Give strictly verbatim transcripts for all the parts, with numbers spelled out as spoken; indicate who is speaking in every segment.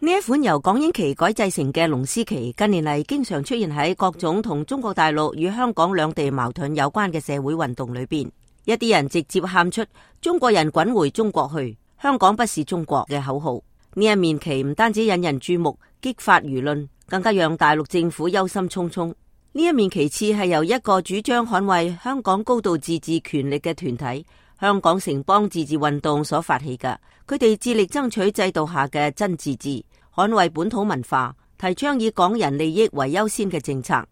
Speaker 1: 呢一款由港英旗改製成嘅龍獅旗，近年嚟經常出現喺各種同中國大陸與香港兩地矛盾有關嘅社會運動裏邊。一啲人直接喊出中國人滾回中國去，香港不是中國嘅口號。呢一面旗唔單止引人注目，激發輿論，更加讓大陸政府憂心忡忡。呢一面旗幟係由一個主張捍衛香港高度自治權力嘅團體香港城邦自治運動所發起嘅，佢哋致力爭取制度下嘅真自治，捍衛本土文化，提倡以港人利益為優先嘅政策。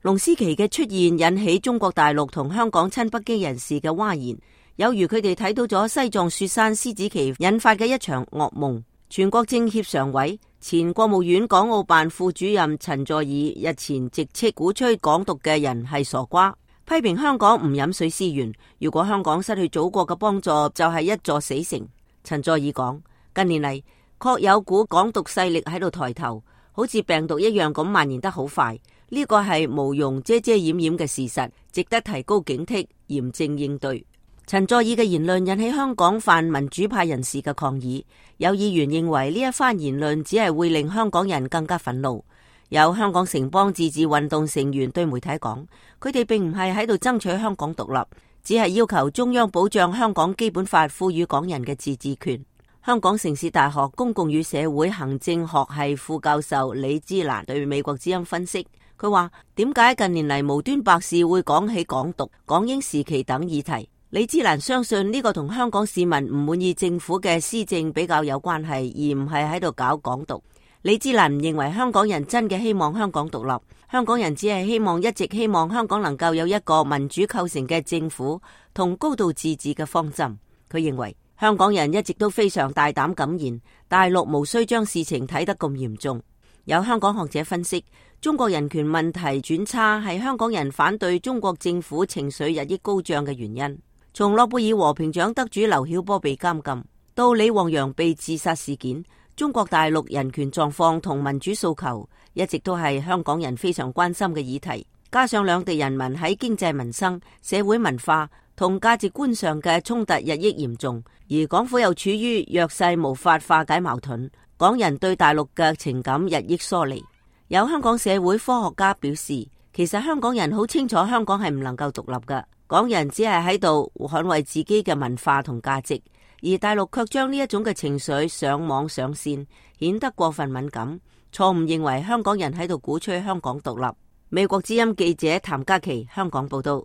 Speaker 1: 龍獅旗嘅出現引起中國大陸同香港親北京人士嘅譁然，有如佢哋睇到咗西藏雪山獅子旗引發嘅一場噩夢。全國政協常委、前國務院港澳辦副主任陳佐洱日前直斥鼓吹港獨嘅人係傻瓜，批評香港唔飲水思源，如果香港失去祖國嘅幫助，就係一座死城。陳佐洱講，近年嚟確有股港獨勢力喺度抬頭，好似病毒一樣咁蔓延得好快，呢個係無庸遮遮掩掩嘅事實，值得提高警惕，嚴正應對。陳佐洱嘅言論引起香港泛民主派人士嘅抗議，有議員認為呢一番言論只係會令香港人更加憤怒。有香港城邦自治運動成員對媒體講，佢哋並唔係喺度爭取香港獨立，只係要求中央保障香港基本法賦予港人嘅自治權。香港城市大學公共與社會行政學系副教授李芝蘭對美國之音分析，佢話點解近年嚟無端白事會講起港獨、港英時期等議題？李芝蘭相信呢個同香港市民唔滿意政府嘅施政比較有關係，而唔係喺度搞港獨。李芝蘭唔認為香港人真嘅希望香港獨立，香港人只係希望一直希望香港能夠有一個民主構成嘅政府同高度自治嘅方針。佢認為香港人一直都非常大膽敢言，大陸無需將事情睇得咁嚴重。有香港學者分析，中國人權問題轉差係香港人反對中國政府情緒日益高漲嘅原因。從諾貝爾和平獎得主劉曉波被監禁，到李旺陽被自殺事件，中國大陸人權狀況同民主訴求一直都係香港人非常關心嘅議題。加上兩地人民喺經濟民生、社會文化同價值觀上嘅衝突日益嚴重，而港府又處於弱勢，無法化解矛盾，港人對大陸嘅情感日益疏離。有香港社會科學家表示，其實香港人好清楚香港係唔能夠獨立嘅。港人只係喺度捍衛自己嘅文化同價值，而大陸卻將呢一種嘅情緒上網上線，顯得過分敏感，錯誤認為香港人喺度鼓吹香港獨立。美國之音記者譚嘉琪香港報道。